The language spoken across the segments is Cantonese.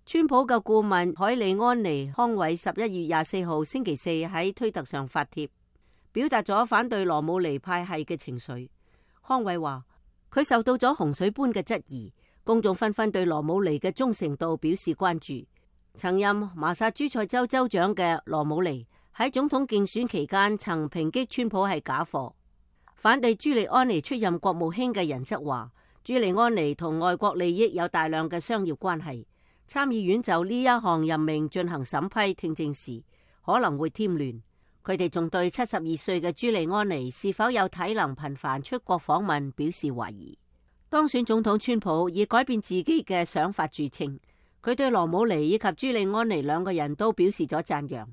川普嘅顧問凱利安妮康偉11月24號星期四喺推特上發帖，表達咗反對羅姆尼派系嘅情緒。康偉話佢受到咗洪水般嘅質疑，公眾紛紛對羅姆尼嘅忠誠度表示關注。曾任麻薩諸塞州州長嘅羅姆尼喺總統競選期間曾抨擊川普係假貨。反對朱利安尼出任國務卿嘅人則話，朱利安尼同外國利益有大量嘅商業關係。參議院就呢一項任命進行審批聽證時，可能會添亂。佢哋仲對72歲嘅朱利安尼是否有體能頻繁出國訪問表示懷疑。當選總統川普以改變自己嘅想法著稱，佢對羅姆尼以及朱利安尼兩個人都表示咗讚揚。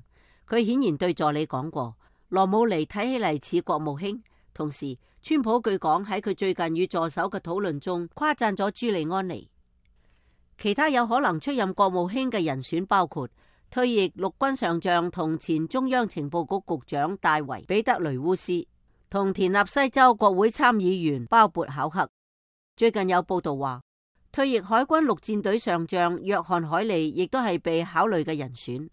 佢顯然對助理講過，羅姆尼睇起嚟似國務卿。同時，川普據講喺佢最近與助手嘅討論中誇讚咗朱利安尼。其他有可能出任國務卿嘅人選包括退役陸軍上將同前中央情報局局長戴維彼得雷烏斯，同田納西州國會參議員鮑勃考克。最近有報道話，退役海軍陸戰隊上將約翰海利亦都係被考慮嘅人選。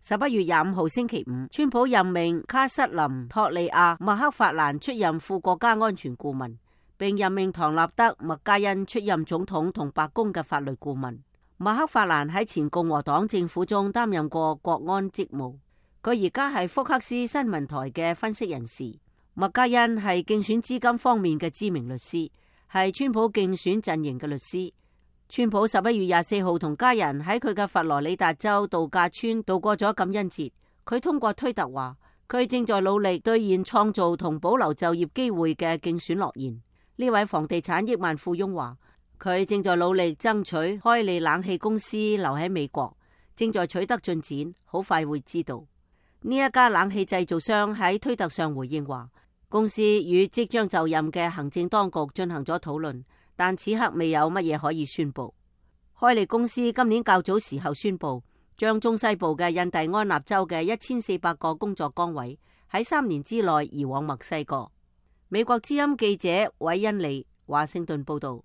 11月25號星期五，川普任命卡瑟琳托利亞麥克法蘭出任副國家安全顧問，並任命唐納德麥加恩出任總統同白宮嘅法律顧問。麥克法蘭喺前共和黨政府中擔任過國安職務，佢而家係福克斯新聞台嘅分析人士。麥加恩係競選資金方面嘅知名律師，係川普競選陣營嘅律師。川普11月24號同家人喺佢嘅佛羅里達州度假村度過咗感恩節。佢通過推特話，佢正在努力兌現創造同保留就業機會嘅競選諾言。呢位房地產億萬富翁話，佢正在努力爭取開利冷氣公司留喺美國，正在取得進展，好快會知道。呢一家冷氣製造商喺推特上回應話，公司與即將就任嘅行政當局進行咗討論，但此刻未有乜嘢可以宣布。開利公司今年較早時候宣布，將中西部嘅印第安納州嘅1400個工作崗位喺3年之內移往墨西哥。美國之音記者韋恩利華盛頓報道。